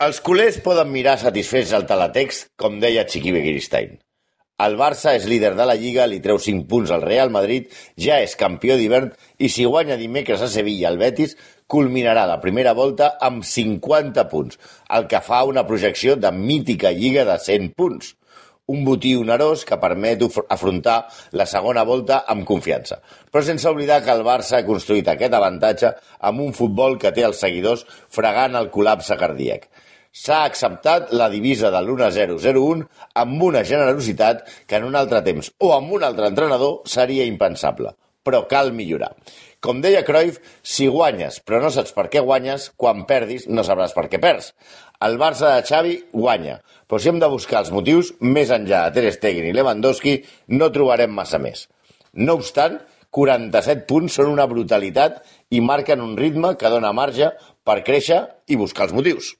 Els culers poden mirar satisfets el teletext, com deia Chiqui Begiristain. El Barça és líder de la Lliga, li treu 5 punts al Real Madrid, ja és campió d'hivern i si guanya dimecres a Sevilla el Betis, culminarà la primera volta amb 50 punts, el que fa una projecció de mítica Lliga de 100 punts. Un botí onerós que permet afrontar la segona volta amb confiança. Però sense oblidar que el Barça ha construït aquest avantatge amb un futbol que té els seguidors fregant el col·lapse cardíac. S'ha acceptat la divisa de l'1-0-0-1 amb una generositat que en un altre temps o amb un altre entrenador seria impensable. Però cal millorar. Com deia Cruyff, si guanyes però no saps per què guanyes, quan perdis no sabràs per què perds. El Barça de Xavi guanya, però si hem de buscar els motius, més enllà de Ter Stegen i Lewandowski, no trobarem massa més. No obstant, 47 punts són una brutalitat i marquen un ritme que dona marge per créixer i buscar els motius.